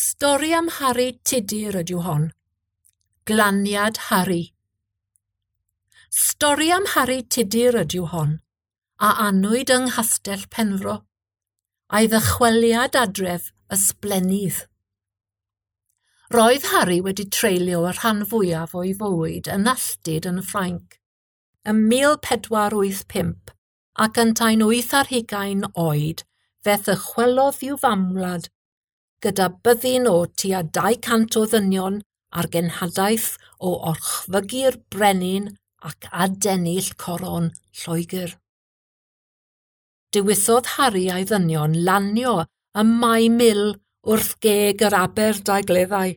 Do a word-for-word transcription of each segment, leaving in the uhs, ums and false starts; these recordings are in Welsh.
Stori am Harri Tudur ydyw hon. Glaniad Harri. Stori am Harri Tudur ydyw hon, a anwyd yng Nghastell Penfro, a'i ddychweliad adref ysblennydd. Roedd Harri wedi treulio y rhan fwyaf o'i fywyd yn alltud yn Ffrainc ym mil pedwar wyth pump ac yntau'n wyth ar hugain oed fe ddychwelodd i'w famwlad gyda byddin o tua dau cant o ddynion ar genhadaeth o orchfygu'r brenin ac adennill coron Lloegr. Dewisodd Harri a'i ddynion lanio ym Mae Mil wrth geg yr Aberdaugleddau.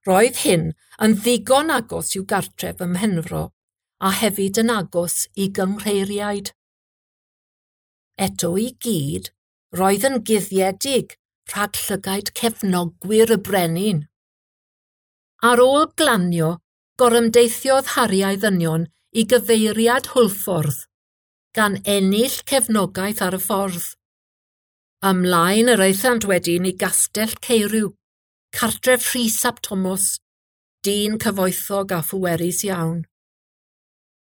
Roedd hyn yn ddigon agos i'w gartref ym Mhenfro a hefyd yn agos i gynghreiriaid. Eto i gyd, roedd yn guddiedig rhag llygaid cefnogwyr y brenin. Ar ôl glanio, gorymdeithiodd Harri a'i ddynion i gyfeiriad Hwlffordd, gan ennill cefnogaeth ar y ffordd. Ymlaen yr aethant wedyn i Gastell Caeriw, cartref Rhys ap Thomas, dyn cyfoethog a phwerus iawn.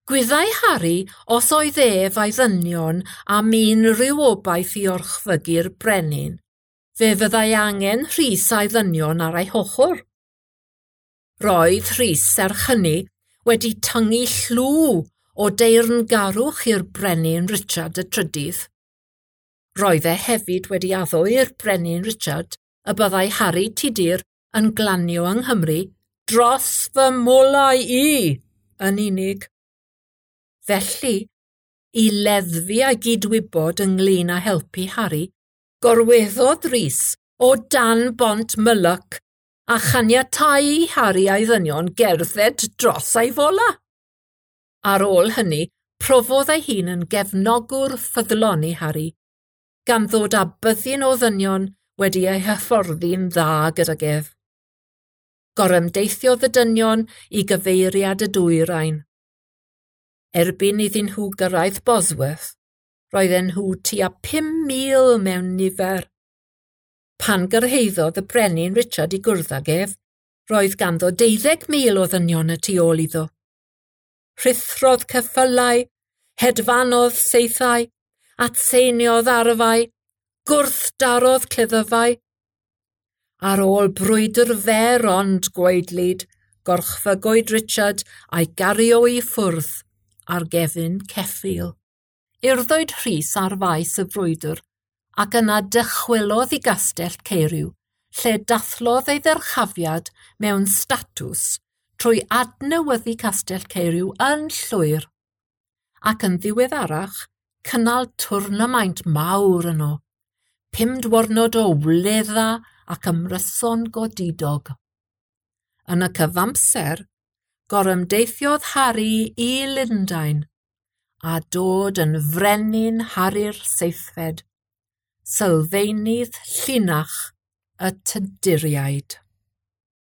Gwyddai Harri os oedd ef a'i ddynion am unrhyw obaith i orchfygu'r brenin, fe fyddai angen Rhys a'i ddynion ar ei hochr. Roedd Rhys serch hynny wedi tyngu llw o deyrngarwch i'r brenin Richard y Trydydd. Roedd e hefyd wedi addo i'r brenin Richard y byddai Harri Tudur yn glanio yng Nghymru dros fy molau i yn unig. Felly, i leddfu a'i gydwybod ynglyn â helpu Harri, gorweddodd Rhys o dan bont Mylyc a chaniatáu i Harri a'i ddynion gerdded dros ei fola. Ar ôl hynny, profodd ei hun yn gefnogwr ffyddlon i Harri, gan ddod â byddin o ddynion wedi ei hyfforddi'n dda gydag ef. Gorymdeithiodd y dynion i gyfeiriad y dwyrain. Erbyn iddyn nhw gyrraedd Bosworth, roedden nhw tua pum mil mewn nifer. Pan gyrhaeddodd y brenin Richard i gwrdd ag ef, roedd ganddo deuddeg mil o ddynion y tu ôl iddo. Rhuthrodd ceffylau, hedfanodd saethau, atseiniodd arfau, gwrthdarodd cleddyfau. Ar ôl brwydr fer ond gwaedlyd, gorchfygwyd Richard a'i gario i ffwrdd ar gefn ceffyl. Urddwyd Rhys ar faes y frwydr ac yna dychwelodd i Gastell Caeriw, lle dathlodd ei ddyrchafiad mewn statws trwy adnewyddu Castell Caeriw yn llwyr, ac yn ddiweddarach cynnal twrnamaint mawr yno, pum diwrnod o wledda ac ymryson godidog. Yn y cyfamser, gorymdeithiodd Harri i Lundain a dod yn frenin Harri'r Seithfed, sylfaenydd llinach y Tuduriaid.